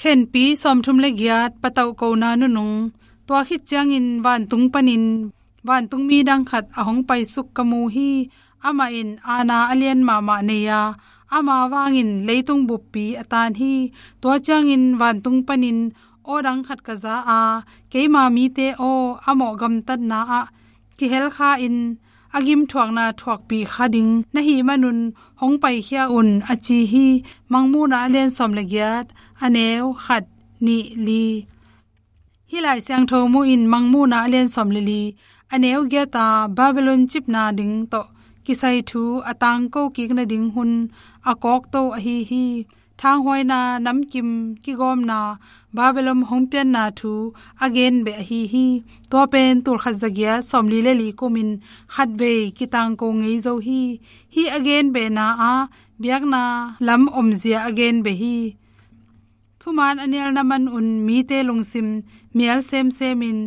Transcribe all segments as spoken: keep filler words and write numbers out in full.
Khenpi sawmthum le giat, patauh kona nunung. Tua khit ciangin vantung panin vantungmi dang khat a hong paisuk ka mu hi. Amah in aana a lian mahmah nei a, ama vangin leitung buppi a tan hi. Tua ciangin vantung panin aw dang khat ka za a, keima mite aw, a mawh gamtatna ah kihelkha in a gimthuakna thuakpih kha ding na hih manun hong paikhia un, a ci hi. Mangmuhna a lian sawm le giat, a neu khat, nih, li. Hih Lai Siangtho mu in Mangmuhna a lian sawm le li, a neu giat a Babylon cipna ding tawh kisai thu a tangko kik nading hun a kawkto ahi hi. Thanghuaina, namkim kigawmna, Babylon hong pianna thu a genbeh ahi hi. Tua pen tulkhat zagiat sawmli le li kumin khatvei kitangko ngei zo hi. Hih a genbehna ah biakna lam omzia a genbeh hi. Thuman a nialna manun mite lungsim mial semsemin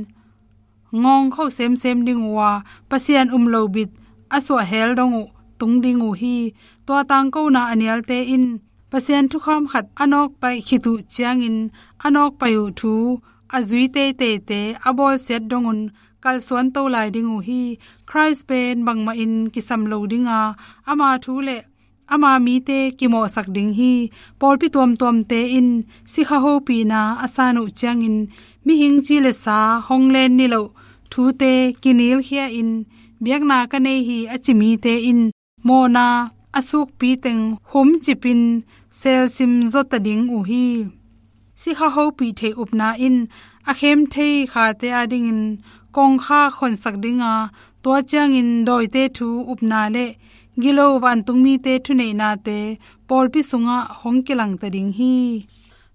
ngawngkho semsem ding uh a, Pasian um lo bit a suah hel dong uh tung ding uh hi. Tua tangkona a nialte in Pasian thukham khat a nawkpaih khit uh ciangin a nawkpaih uh thu a zui teiteite a bawlsiat dongun kalsuanto lai ding uh hi. Khrist pen bangmahin kisam lo ding a, ama thu le ama mite kimawhsak ding hi. Pawlpi tuamtuamte in sikha hopihna a san uh ciangin mihing ci le sa hong len niloh thute kinilkhia in biakna ka nei hi a ci mite in mawhna a sukpi teng humcipin selsim zawta ding uh hi. Sikha hopih theih upna in a khem thei khate adingin kongkha khonsak ding a, tua ciangin dawite thu upna le gilo vantungmite thuneihnate pawlpi sungah hong kilangta ding hi.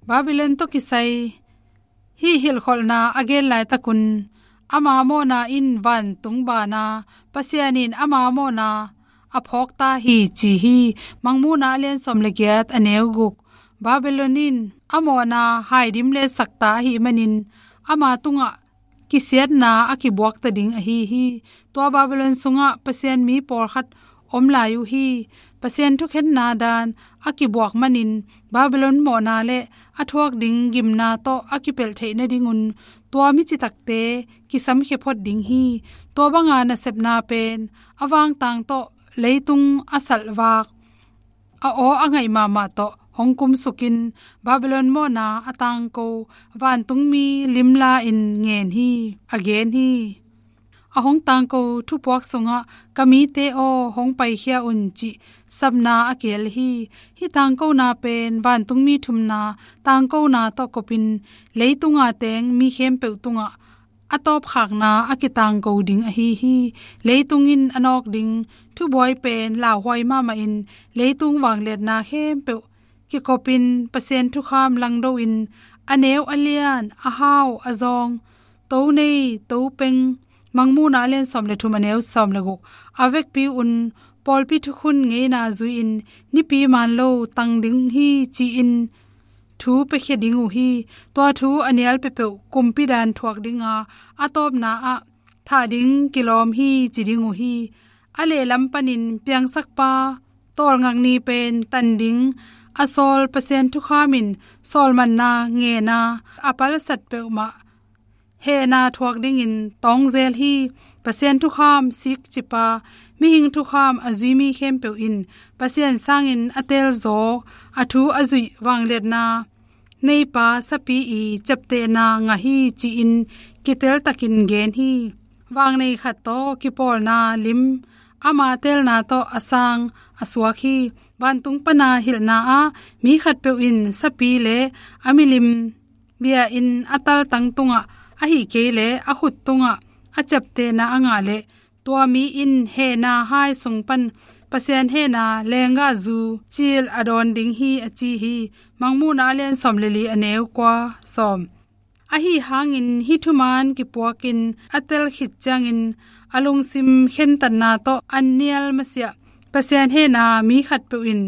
Babylon tawh kisai hih hilhkholhna a gen laitakun ama mawhna in vantung bana, Pasian in ama mawhna a phawkta hi ci hi. Mangmuhna a lian sawm le giat, a neu guk. Babylon in a mawhna haidim le sakta ahih manin ama tungah kisiatna a kibuakta ding ahi hi. Tua Babylon sungah Pasian mi pawlkhat om lai uh hi. Pasian thukhenna dan a kibuak manin Babylon mawhna le a thuak ding gimna tawh a kipelh theih nadingun tua mi citakte kisamkhia phot ding hi. Tua banga nasepna pen a vangtang tawh leitung a salhvak a aw a ngaih mahmah tawh hong kumsukin Babylon mawhna a tangko vantungmi limla in ngen hi, a gen hi. A hong tangko thupuak sungah ka mite aw hong paikhia un cih sapna a kihel hi. Hih tangkona pen vantungmi thumna tangkona tawh kopin leitunga teng mi khempeuh tungah a tawpkhakna a kitangko ding ahi hi. Leitung in a nawk ding thubuai pen lauhuai mahmahin leitung vangliatna khempeuh kikopin Pasian thukham langdoin a neu a lian, a hau a zawng, to nei to peng, Mangmuhna a lian sawm le thum, a neu sawm le guk, a vekpi un pawlpi thukhun ngeina zui-in nipi man lo tang ding hi ci-in thu piakhia ding uh hi. Tua thu a nial peuhpeuh kumpi dan thuak dinga a tawpna ah thah ding kilawm hi ci ding uh hi. A lehlam panin piangsakpa tawlngak ni pen tan ding a sawl Pasian thukham in sawlmanna ngena a palsat peuhmah hehna thuak dingin tawngzel hi. Pasian thukham sikcipa, mihing thukham a zui mi khempeuh in Pasian sangin a telzawk, a thu a zuih vangliatna neipa sapi i ciaptehna ngah hi ci-in kiteltakin gen hi. Vangnei khat tawh kipawlna lim ama telna tawh a sang a suak hi. Vantung pana hilhna ah mi khatpeuh in sapi le a milim bia in a taltang tungah, ahih kei leh a khut tungah a ciaptehna a ngah leh tua mi in hehna hai sung pan Pasian hehna lenggahzu cil a dawn ding hi, a ci hi. Mangmuhna a lian sawm le li, a neu kua, sawm. Ahi hangin hih thuman kipuakin a tel khit ciangin a lungsim khentatna tawh an nial masiah Pasian hehna mi khatpeuh in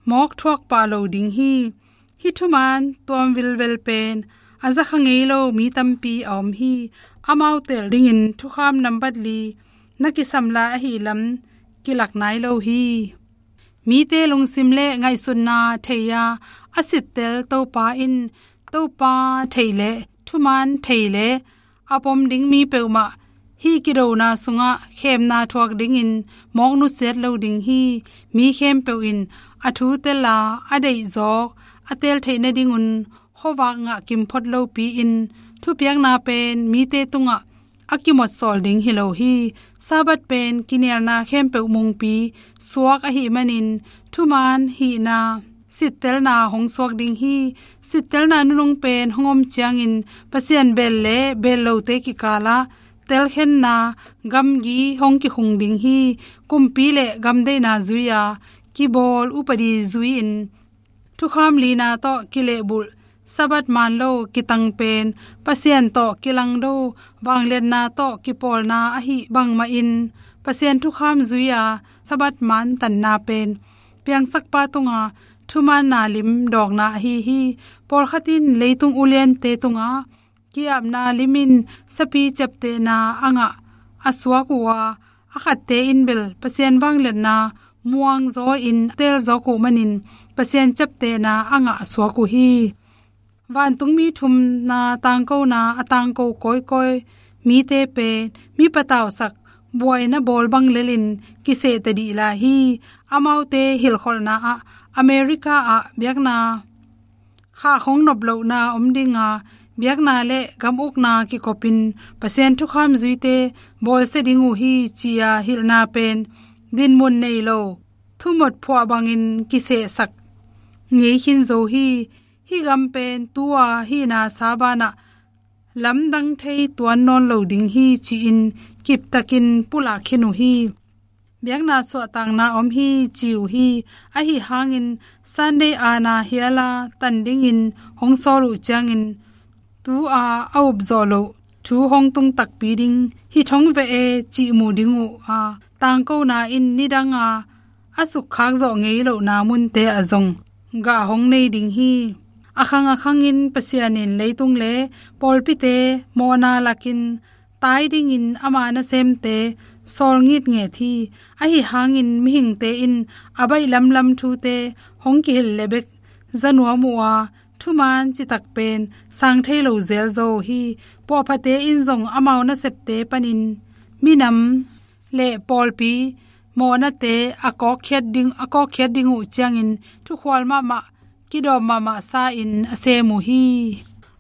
mawk thuak pah lo ding hi. Hih thuman tuam vilvel pen a zakha ngei lo mi tampi a om hi. Amau tel dingin thukham nambat li na kisam lai ahih lam kilak nai lo hi. Mite lungsim le ngaihsutna thei-a a sittel Topa in, Topa thei le thuman thei le a pom ding mi peuhmah hih kidona sungah khemna thuak dingin mawk nusiat lo ding hi. Mi khempeuh in a thu tel a, a deihzawk a teel theih nadingun khuavak ngah kim phot lopi-in, thupiakna pen mite tungah a kimawtsawl ding hi lo hi. Sabbath pen kinialna khempeuh mungpi suak ahih manin, thuman hihna sittelna hong suak ding hi. Sittelna nunung pen hong om ciangin, Pasian beel le beel lote kikalah telkhenna gamgi hong kikhung ding hi. Kumpi le gamdeihna zui-a kibawl upadi zui-in, thukham lina tawh kilehbulh Sabbath man lo kitang pen, Pasian tawh kilangdo vangliatna tawh kipawlna ahih bangmahin, Pasian thukham zui-a Sabbath man tanna pen piangsakpa tunga thumanna lim dawkna ahi hi. Pawlkhat in leitung uliante tungah ki-apna limin sapi ciaptehna a ngah a suak uh a, a khatte in bel Pasian vangliatna muangzaw-in teelzawk uh manin, Pasian ciaptehna a ngah a suak uh hi. Vantungmi thumna tangkona a tangko kawikawi mite pen mi patausak buaina bawl bang lelin kiseh tadih lai hi. Amaute hilhkholhna ah America ah biakna khah hong nop lohna om dinga, biakna le gam ukna kikopin Pasian thukham zuite bawlsia ding uh hi, ci-a hilhna pen dinmun nei lo thumot phuah bangin kisehsak ngei khin zo hi. Hih gam pen tu-a hihna sa banah lamdang thei tuan nawn lo ding hi, ci-in kiptakin pulak khin uh hi. Biakna suahtakna om hi, ci uh hi. Ahi hangin Sunday ana hiala tan dingin hong sawl uh ciangin, tu-a a upzawh loh thu hong tung takpi ding hi thong veh e, cih mu ding uh a, tangkona in nidanga a sukkhak zawh ngei lohna munte ah zong gah hong nei ding hi. A khang a khangin Pasian in leitung le pawlpite mawhna lakin tai dingin ama nasemte sawl ngitnget hi. Ahi hangin mihingte in a baih lamlam thute hong kihilh leh bek za nuam uh a, thuman citak pen sang thei lo zelzaw uh hi. Puahphate in zong amau nasepte panin minam le pawlpi mawhnate a kawkkhiat ding, a kawkkhiat ding uh ciangin thukhual mahmah, kidawp mahmah sa-in a sem uh hi.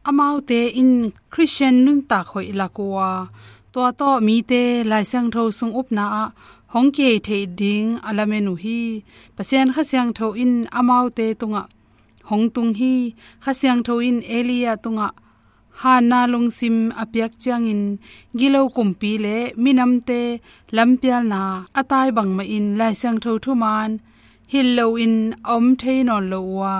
Amaute in Khristian nuntak hoih lak uh a, tua tawh mite Lai Siangtho sung upna ah hong kihei theih ding a lamen uh hi. Pasian Kha Siangtho in amaute tungah hong tung hi. Kha Siangtho in Elijah tungah hanna lungsim a piak ciangin, gilo kumpi le minamte lampialna a tai bangmahin Lai Siangtho thuman hilh loin a om thei nawn lo uh a,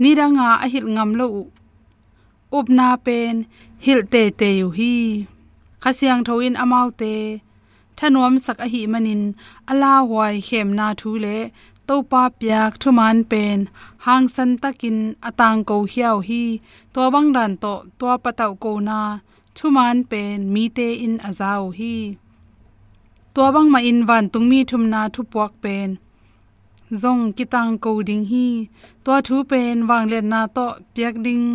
nidanga a hilh ngam lo uh upna pen hilh teitei uh hi. Kha Siangtho in amaute thanuamsak ahih manin, a lauhuai khemna thu le Topa piak thuman pen hangsan takin a tangko khia uh hi. Tua bang dan tawh tua patauhkona thuman pen mite in a za uh hi. Tua bangmahin vantungmi thumna thupuak pen zong kitangko ding hi. Tua thu pen vangliatna tawh piak ding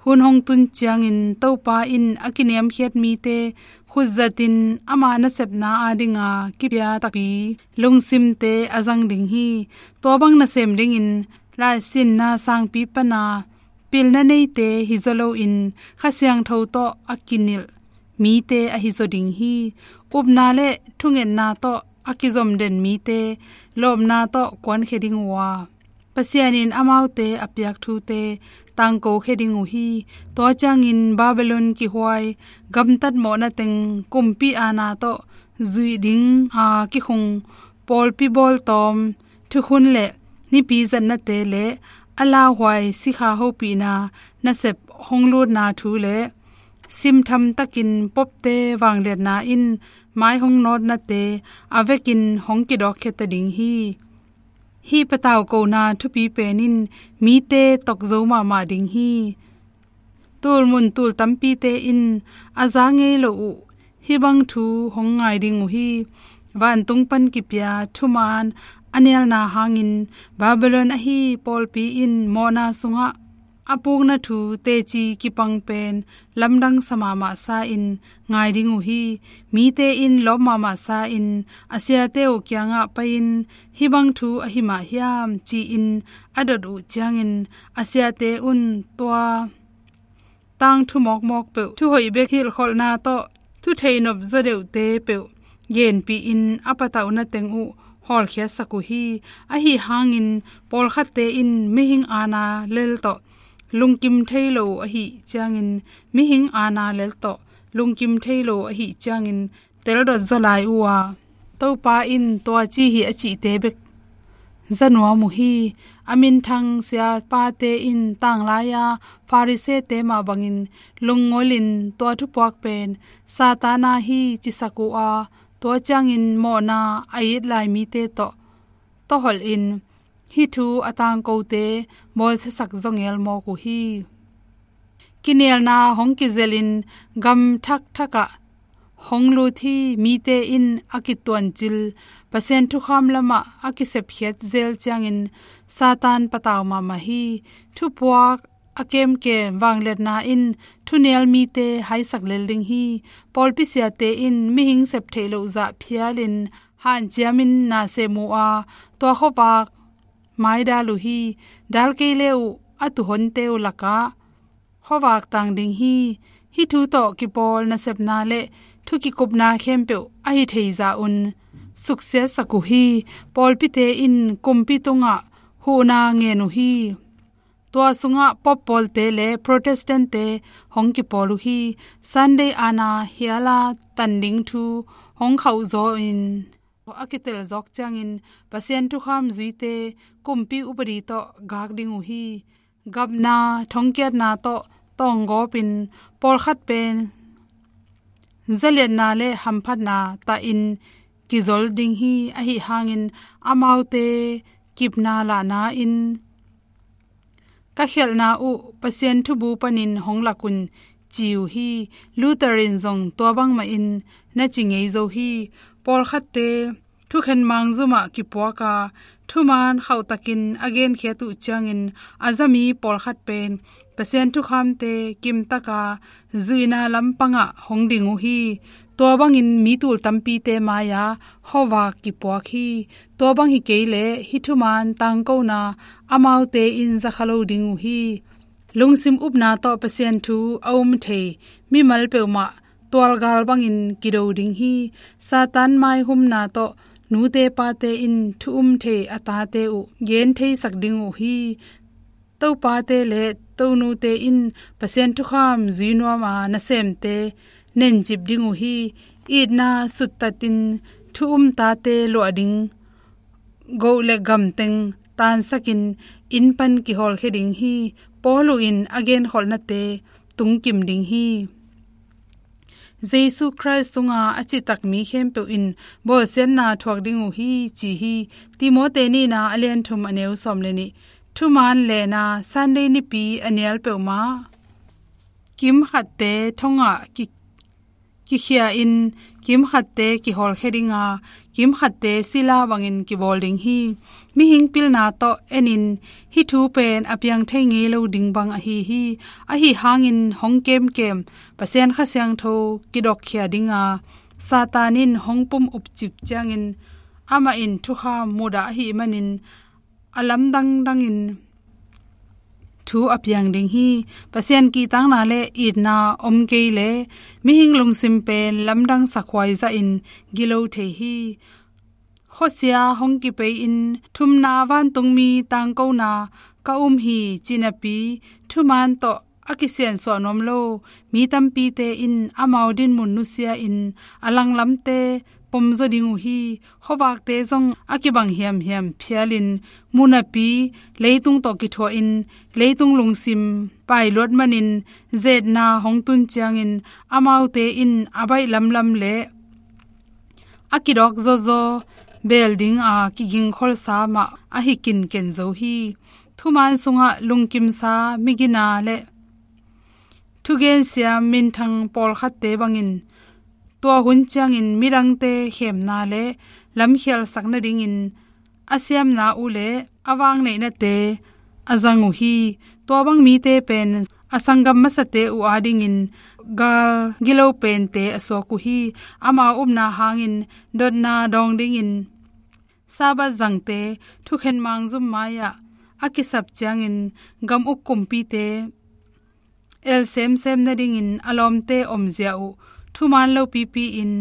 hun hong tun ciangin, Topa in a kiniamkhiat mite khutzatin ama nasepna adinga kipia takpi lungsimte a zang ding hi. Tua bang nasem dingin laisinna sangpi pana pilna neite hi zaw loin, Kha Siangtho tawh a kinilh mite ahi zaw ding hi. Upna le thungetna tawh a kizom den mite lawpna tawh kuankhia ding uh a, Pasian in amaute a piak thute tangkokhia ding uh hi. Tua ciangin Babylon kihuai, gamtat mawhna teng, kumpi aana tawh zuih ding a kikhung pawlpi bawltawm thukhun le nipi zatnate le a lauhuai sikha hopihna nasep hong lutna thu le simtham takin popte vangliatna in mai hong nawtnate a vekin hong kidawkkhia ta ding hi. Hih patauhkona thupi pen in mite tokzo mahmah ding hi. Tulmun tul tampite in a za ngei lo uh hih bang thu hong ngai ding uh hi. vantung pan kipia thumaan a nialna hangin Babylon ahi pawlpi in mawhna sungah a pukna thu teci kipang pen lamdang sa mahmah sa-in ngai ding uh hi. Mite in lawp mahmah sa-in a siate uh kiangah pai-in, "Hih bang thu ahi mah hiam?" ci-in a dot uh ciangin a siate un tua tangthu mawkmawk peuh, thuhoih bek hilhkholhna tawh thuthei nop zaw deuhte peuh genpih-in a patauhna teng uh hawlkhiatsak uh hi. Ahi hangin pawlkhatte in mihing aana lel tawh lungkim thei lo uh ahi ciangin, mihing aana lel tawh lungkim thei lo uh ahi ciangin, teldot zaw lai uh a, Topa in tua ci hi a cihte bek za nuam uh hi. A minthang siapate in tanglai-a Farisee-te mah bangin lungngolin tua thupuak pen Satan aa hi cisak uh a, tua ciangin mawhna a it lai mite tawh tawholhin hih thu a tangkote bawlsiasak zaw ngel mawk uh hi. Kinialna hong kizelhin gam thakthakah hong lut hi. Mite in a kituancil Pasian thukham lamah a kisepkhiat zel ciangin Satan patau mahmah hi. Thupuak a kemkem vangliatna in thunial mite haisak lel ding hi. Pawlpi siate in mihing sep theih loh zah phialin hanciamin na sem uh a, tua khuavak maidal uh hi. Dal kei le uh a tuhonte uh lakah khuavak tang ding hi. Hih thu tawh kipawl nasepna le thu kikupna khempeuh a hi thei zah un suksiatsak uh hi. Pawlpite in kumpi tungah huhna ngen uh hi. Tua sungah Pope pawlte le Protestant-te hong kipawl uh hi. Sunday aana hiala tan ding thu hong khauh zaw in a kitel zawk ciangin Pasian thukham zuite kumpi upadi tawh gak ding uh hi. Gapna thongkiatna tawh tawnggawpin pawlkhat pen zaliatna le hamphatna tahin kizol ding hi. Ahi hangin amaute kipna lahna in ka khialhna uh Pasian thubu panin hong lak un ci uh hi. Luther in zong tua bangmahin na ci ngei zo hi. Pawlkhatte thukhen mangzumah kipuak a, thumaan khauhtakin a genkhiat uh ciangin a zami pawlkhat pen Pasian thukhamte kimtaka zuihna lampangah hong ding uh hi. Tua bangin mi tul tampite mai-ah khuavak kipuak hi. Tua bang hi kei leh hih thumaan tangkona amaute in za kha lo ding uh hi. Lungsim upna tawh Pasian thu a um thei mimal peuhmah tualgal bangin kido ding hi. Satan maihumna tawh nute pate in thu um thei a tate uh gen theisak ding uh hi. Topate le tonute in Pasian thukham zui nuam a nasemte nencip ding uh hi. Itna suttatin thu um tate luah ding goh le gamteng tansakin inn pan kihawlkhia ding hi. Paulu in a genkholhnate tungkim ding hi. Jesu Khrist tunga a citak mi khempeuh in bawlsiatna thuak ding uh hi ci hi. Timote nihna a lian thum a neu sawm le nih. Thumaan lehna Sunday nipi a nial peuhmah kimkhatte thongah ki kikhia in kimkhatte kihawlkhia ding a, kimkhatte sila bangin kibawl ding hi. Mihing pilna tawh enin hih thu pen a piang thei ngei lo ding bang ahi hi. Ahi hangin hong kemkem Pasian Kha Siangtho kidokkhia ding a, Satan in hong pum upcip ciangin amah in thukham mudah ahih manin a lamdang dangin thu a piang ding hi. Pasian kihtakna le itna om kei leh mihing lungsim pen lamdang sakhuai zahin gilo thei hi. Khuasia hong kipei-in thumna vantungmi tangkona ka um hi ci napi thumaan tawh a kisiansuah nuam lo mi tampite in amau dinmun nusia-in a langlamte pomzaw ding uh hi. Khuavakte zong a kibang hiamhiam phialin mu napi leitung tawh kithuahin leitung lungsim pailuat manin zetna hong tun ciangin amaute in a baih lamlam le a kidawk zawzaw beel dinga kigingkholsa mah ahi kinken zo hi. Thumaan sungah lungkimsa migina le thugensiam minthang pawlkhatte bangin tua hun ciangin midangte khemna le lamkhialsak nadingin a siamna uh le a vangneih nate a zang uh hi. Tua bang mite pen a sanggam masate uh adingin gal gilo pente a suak uh hi. Amau upna hangin dotna dawng dingin Sabbath zangte thukhen mangzum mai-ah a kisap ciangin gam uk kumpite el semsem nadingin a lawmte omzia uh thuman lopipi-in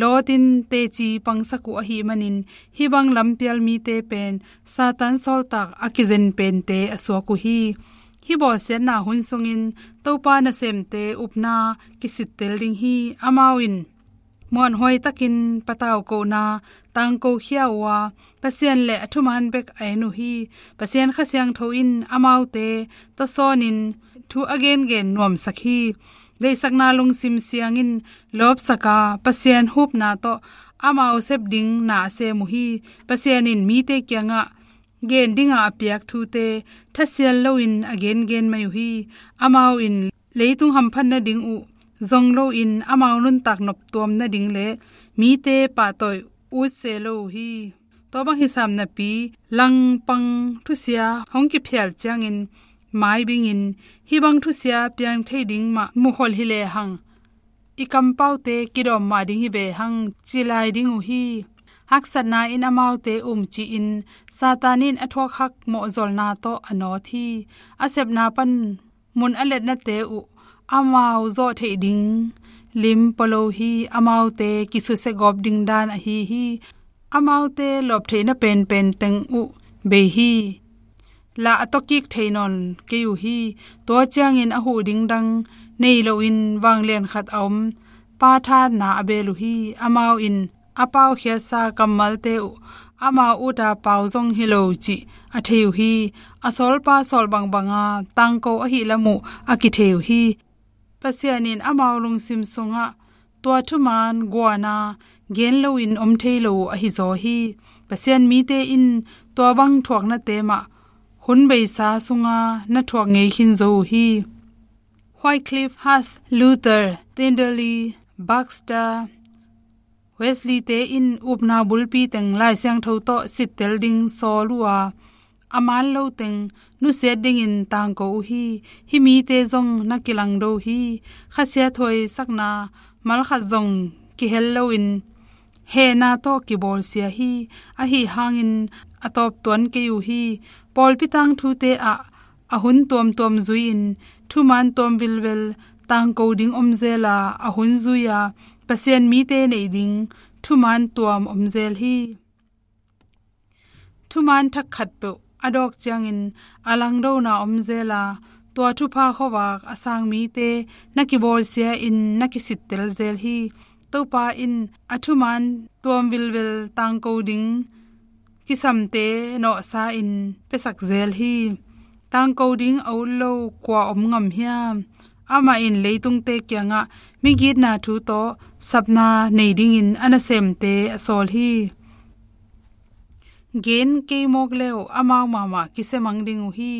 lawtin teci pangsak uh ahih manin hih bang lampial mite pen Satan sawltak a kizen pente a suak uh hi. Hih bawlsiatna hun sungin Topa nasemte upna kisittel ding hi. Amau in muanhuai takin patau kohna tangko khia uh a, Pasian le a thuman bek a en uh hi. Pasian Kha Siangtho in amaute tawsawnin thu a gengen nuamsak hi. Deihsakna lungsim siangin lawpsak a, Pasian hupna tawh amau sep ding na a sem uh hi. Pasian in mite kiangah gen dinga a piak thute thasial loin a gengen mai uh hi. Amau in leitung hamphat nading uh zong loin amau nuntak noptuam nading le mite pahtawi utse lo uh hi. Tua bang hisam napi langpang thusia hong kiphial ciangin maibingin hih bang thusia piang thei ding mah mukhol hi lehang i kampaute kidawm mah ding hi ve hang ci lai ding uh hi. Haksatna in amaute umcihin Satan in a thuakhak mawhzolna tawh a nawt hi. A sepna pan mun a letnate uh amau zawh theih ding lim polo hi. Amaute kisusia gawp ding dan ahi hi. Amaute lawp theihna penpen teng uh bei hi. Lah a tawkik thei nawn kei uh hi. Tua ciangin a huh ding dang nei loin vanglian khat a om pa thahatna a beel uh hi. Amau in a paukhiatsa kammalte uh amau uta pau zong hi lo cih a thei uh hi. A sawlpa sawl bangbanga tangko ahi lam uh a kithei uh hi. Pasian in amau lungsim sungah tua thuman guana gen loin om thei lo uh ahi zaw hi. Pasian mite in tua bang thuaknate mah hun beisa sunga na thuak ngei khin zo uh hi. Wycliffe, Huss, Luther, Tyndale, Baxter, Wesley te in upna bulpi teng Lai Siangtho tawh sittel ding sawl uh a, a man lo teng nusiat dingin tangko uh hi. Hih mite zong na kilangdo hi. Khasia thuaisakna malkhat zong kihel loin hehna tawh kibawlsia hi. Ahi hangin a tawp tuan kei uh hi. Pawlpi tangthute ah a hun tuamtuam zui-in thuman tuam vilvel tangko ding om zel a, a hun zui-a Pasian mite neih ding thuman tuam om zel hi. Thuman thak khatpeuh a dawk ciangin a langdona om zel a, tua thupha khuavak a sang mite na kibawlsia-in na kisittel zel hi. Topa in a thuman tuam vilvel tangko ding kisamte nawhsa-in piasak zel hi. Tangko ding a ut lo kua om ngam hiam? Amah in leitungte kiangah migitna thu tawh sapna nei dingin a nasemte a sawl hi. Gen kei mawk le uh amau mahmah kisia mang ding uh hi.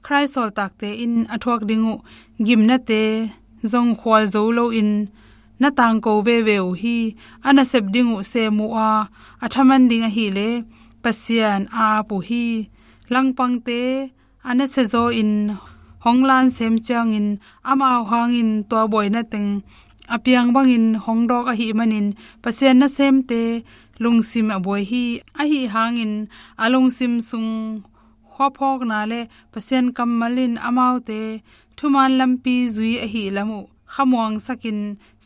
Khrist sawltakte in a thuak ding uh gimnate zong khual zo loin na tangko veve uh hi. A nasep ding uh sem uh a, a thaman ding ahih leh Pasian a ap uh hi. Langpangte a nasia zaw-in hong lan sem ciangin amau hangin tua buaina teng a piang bangin hong dawk ahih manin Pasian nasemte lungsim a buai hi. Ahi hangin a lungsim sung khuaphawkna le Pasian kammal in amaute thuman lampi zui ahih lam uh khamuangsakin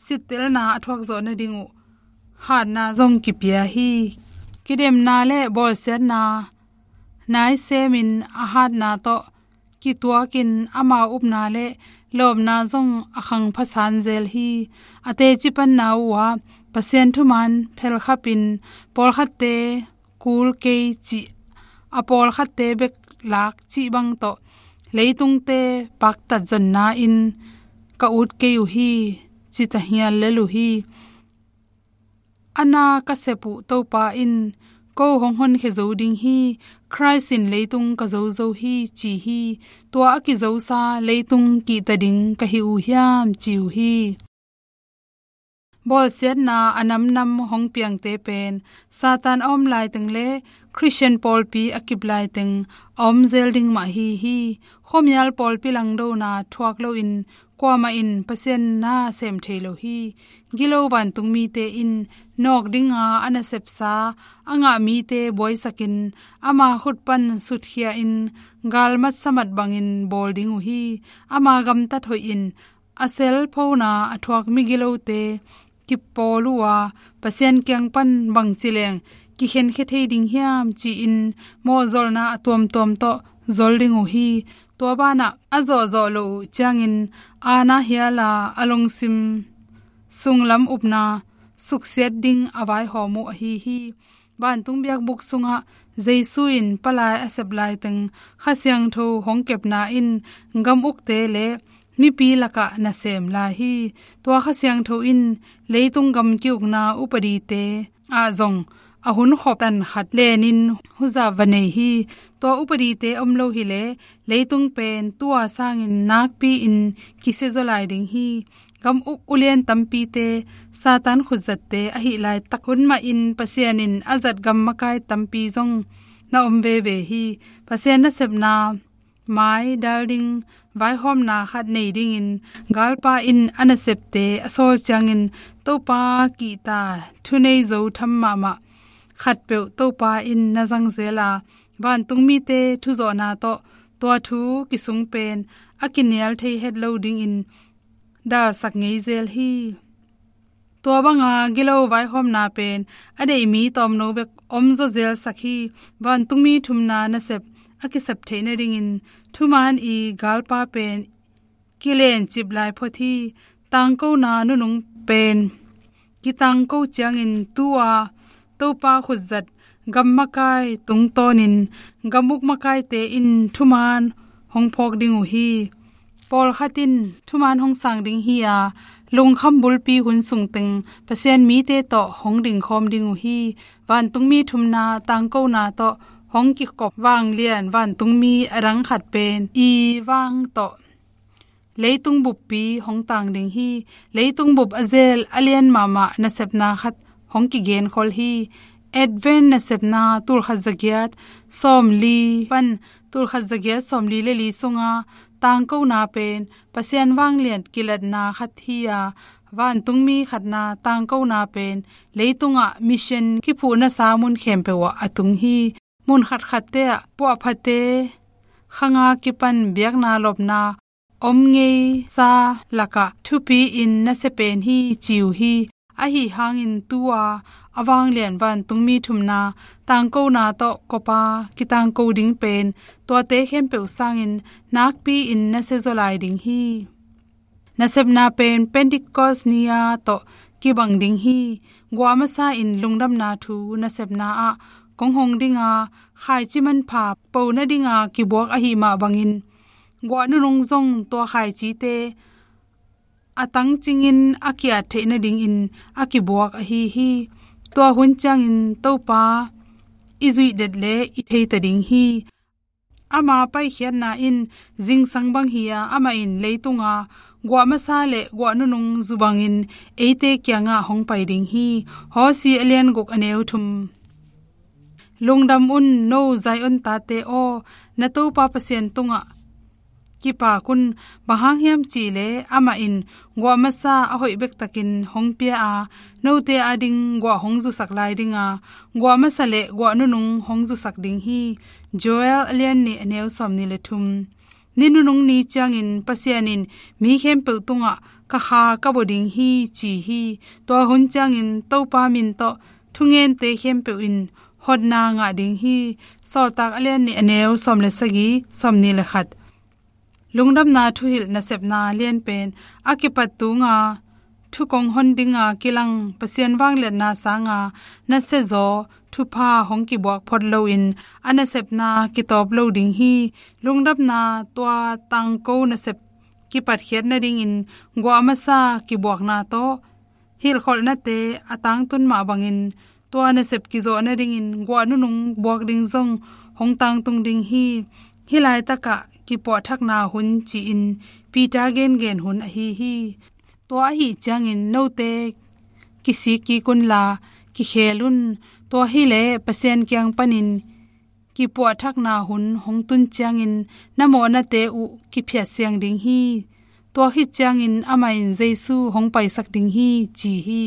sittelna a thuak zawh nading uh hatna zong kipia hi. Kidemna le bawlsiatna naisemin a hatna tawh kituakin amau upna le lawpna zong a khangphasan zel hi. A teci panna uh ah Pasian thuman phelkhapin pawlkhatte kul kei cih, a pawlkhatte bek lak cih bang tawh leitungte paktat zonna in ka ut kei uh hi, ci ta hial lel uh hi. A na ka sep uh Topa in ko hong honkhia zo ding hi. Khrist in leitung ka zo zo hi, ci hi. Tua a kizosa leitung kihta ding ka hi uh hiam, ci uh hi. Bawlsiatna a namnam hong piangte pen Satan a om laiteng le Khristian pawlpi a kip laiteng a om zel ding mah hi hi. Khuamial pawlpi langdona thuak loin kuamah in Pasian na sem thei lo hi. Gilo vantungmite in nawk dinga a nasepsa a ngah mite buaisakin ama khut pan sutkhia in galmat samat bangin bawl ding uh hi. Ama gamtat hoih in a selphona a thuak migilote kipawl uh a, Pasian kiang pan bangci leng kikhenkhia thei ding hiam ci-in mawhzolna a tuamtuam tawh zol ding uh hi. Tua banah a zawhzawh loh uh ciangin aana hiala a lungsim sunglam upna suksiat ding a vaihawm uh ahi hi. Vantung biakbuk sungah Jesu in palai a sep laiteng Kha Siangtho hong kepna in gam ukte le mipi lakah nasem lai hi. Tua Kha Siangtho in leitung gam ki-ukna upadite ah zong a hunkhop tan khat lenin huza va nei hi. Tua upadite om lo hileh leitung pen tua sangin nakpi-in kisia zaw lai ding hi. Gam uk ulian tampite Satan khutzatte ahi laitak hun mahin Pasian in a zat gam makai tampi zong na om veve hi. Pasian nasepna mai dal ding vaihawmna khat nei dingin galpa in a nasepte a sawl ciangin Topa kihta thunei zo tham mahmah khatpeuh Topa in na zangzel a, vantungmite thuzawhna tawh tua thu kisung pen a kinial thei het lo dingin dalsak ngei zel hi. Tua banga gilo vaihawmna pen a deih mi tawmno bek om zaw zelsak hi. Vantungmi thumna nasep a kisep theih nadingin thuman i galpa pen kilencip lai phot hi. Tangkona nunung pen kitangko ciangin tu-a Topa khutzat gam makai tungtawnin gam uk makaite in thuman hong phawk ding uh hi. Pawlkhat in thuman hong sang ding hi-a, lungkham bulpi hun sungteng Pasian mite tawh hong dingkhawm ding uh hi. Vantungmi thumna tangkona tawh hong kikop vanglian vantungmi a dang khat pen i vang tawh leitung buppi hong tang ding hi. Leitung bup a zel a lian mahmah nasepna khat hong kigenkhol hi. Advent nasepna tulkhat zagiat sawmli pan tulkhat zagiat sawmli le li sunga tangkona pen Pasian vanglian kilatna khat hi-a, vantungmi khatna tangkona pen leitungah mission kiphuhnasa mun khempeuh ah a tung hi. Mun khatkhatte ah puahphate khanga kipan biakna lopna om ngeisa lakah thupi-in nasia pen hi ci uh hi. Ahi hangin tu-a a vanglian vantungmi thumna tangkona tawh kopa kitangko ding pen tuate khempeuh sangin nakpi-in nasia zaw lai ding hi. Nasepna pen Pentecost ni-a tawh kibang ding hi. Guah masa in lungdamna thu nasepna ah kong hong dinga khaici manpha po nadinga kibuak ahi mah bangin guah nunung zong tua khaicite a tangcingin a ki-at theih nadingin a kibuak ahi hi. Tua hun ciangin Topa i zuih det le i theita ding hi. Ama paikhiatna in zingsang bang hi-a, amah in leitunga guah masa le guah nunung zu bangin eite kiangah hong pai ding hi. Hawsi a lian guk a neu thum. Lungdam un, no Zion tate aw, na Topa Pasian tungah kipak un. Bang hang hiam cihleh amah in guah masa a hoih bektakin hong pia a, note ading guah hong zusak lai dinga, guah masa le guah nunung hong zusak ding hi. Joel a lian nih a neu sawmnih le thum. Ni nunung ni ciangin Pasian in mi khempeuh tungah ka Kha ka bua ding hi ci hi. Tua hun ciangin Topa min tawh thungente khempeuh in hotna ngah ding hi. Sawltak a lian nih a neu sawm le sagih, sawmnih le khat. Lungdamna thuhilh nasepna lianpen a kipat tunga thukong hon dinga kilang Pasian vangliatna sanga nasia zaw thupha hong kibuak phot loin a nasepna kitawp lo ding hi. Lungdamna tua tangko nasep kipatkhiat nadingin guah masa kibuakna tawh hilhkholhnate a tangtun mah bangin tua nasep kizawh nadingin guah nunung buak ding zong hong tangtung ding hi. Hih laitakah kipuahthakna hun ci-in Peter gengen hun ahi hi. Tua ahi ciangin note kisik kik unla, kikhel un. Tua hileh Pasian kiang panin kipuahthakna hun hong tun ciangin na mawhnate uh kiphiatsiang ding hi. Tua khit ciangin amah in Jesu hong paisak ding hi, ci hi.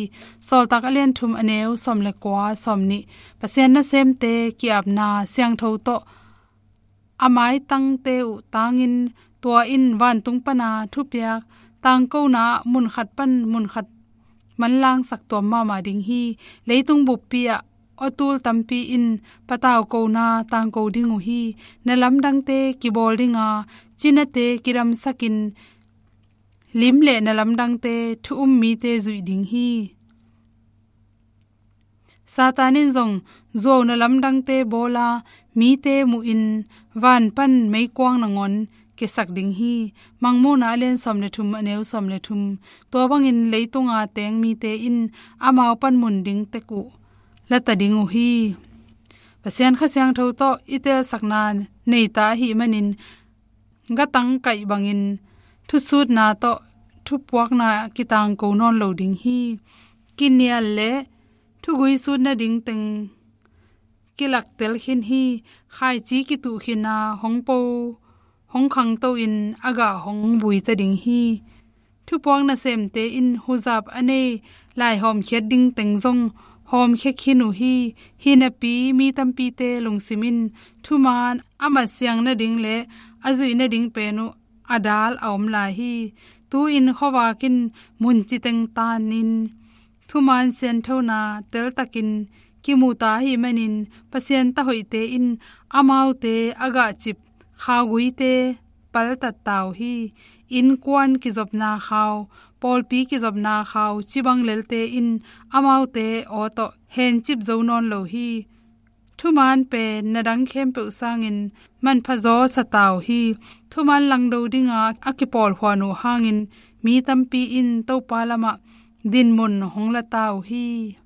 Sawltak a lian thum, a neu sawm le kua, sawm nih. Pasian nasemte ki-apna siangtho tawh a maitangte uh tangin, tua in vantung pana thupiak tangkona ah mun khat pan mun khat manlangsak tuam mahmah ding hi. Leitung buppi ah aw tul tampi in patau kona tangko ding uh hi. Na lamdangte kibawl dinga, cinate kidamsakin, lim le na lamdangte thu um mite zuih ding hi. Satan in zong zuau na lamdangte bawla, mite muhin van pan meikuang nangawn kiasak ding hi. Mangmuhna a lian sawm le thum, a neu sawm le thum. Tua bangin leitunga teng mite in amau panmun ding tek uh lata ding uh hi. Pasian Kha Siangtho tawh i telsakna neita ahih manin, gatang kaih bangin thusutna tawh thupuakna kitangko nawn lo ding hi. Kinial le thugui sut nading teng kilaktel khin hi. Khaici kituh khina hong po, hong khangto in a gah hong vuita ding hi. Thupuak nasemte in huzap a nei lai hawmkhiat ding teng zong hawmkhia khin uh hi. Hinapi mi tampite lungsim in thumaan a matsiang nading le a zuih nading pen uh a dal a om lai hi. Tu-in khuavak in mun citeng tanin thumaan sianthona teltakin kimuta ahih manin, Pasian tahoihte in amaute a gahcip khauguite paltatta uh hi. Innkuan kizopna khau, pawlpi kizopna khau cibang lelte in amaute aw tawh hencip zo nawn lo hi. Thumaan pen na dang khempeuh sangin manpha zaw sata uh hi. Thumaan langdo dinga a kipawlhuan uh hangin mi tampi in Topa lamah dinmun hong lata uh hi.